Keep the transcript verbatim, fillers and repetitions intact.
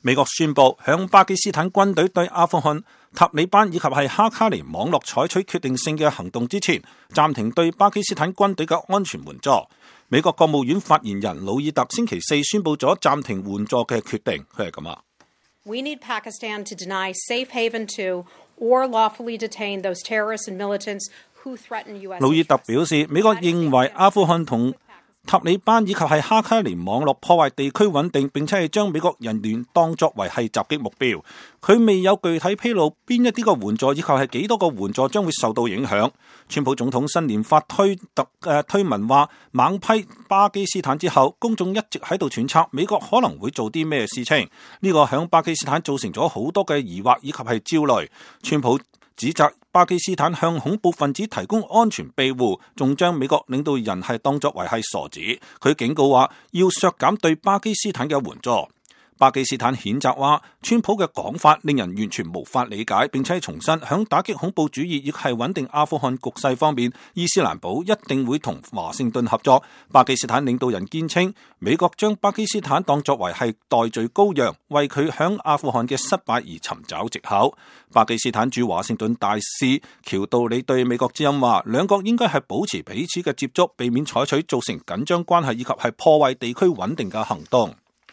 美國宣布向巴基斯坦軍隊對阿富汗塔利班以及係哈卡尼網絡採取決定性嘅行動之前，暫停對巴基斯坦軍隊嘅安全援助。美國國務院發言人魯爾特星期四宣布咗暫停援助嘅決定，佢係咁啊。We need Pakistan to deny safe haven to or lawfully detain those terrorists and militants who threaten U S. 魯爾特表示，美國認為阿富汗同塔利班以及係哈卡尼網絡破壞地區穩定，並且係將美國人員當作為係襲擊目標。佢未有具體披露邊一啲個援助以及係幾多個援助將會受到影響。川普總統新年發推特誒推文話，猛批巴基斯坦之後，公眾一直喺度揣測美國可能會做啲咩事情。呢個響巴基斯坦造成咗好多嘅疑惑以及係焦慮。川普指責巴基斯坦向恐怖分子提供安全庇護，仲將美國領導人係當作為係傻子。佢警告話要削減對巴基斯坦嘅援助。巴基斯坦譴責話，川普嘅講法令人完全無法理解，並且重申響打擊恐怖主義亦係穩定阿富汗局勢方面，伊斯蘭堡一定會同華盛頓合作。巴基斯坦領導人堅稱，美國將巴基斯坦當作為係代罪羔羊，為佢響阿富汗嘅失敗而尋找藉口。巴基斯坦駐華盛頓大使喬道理對美國之音話，兩國應該係保持彼此嘅接觸，避免採取造成緊張關係以及係破壞地區穩定嘅行動。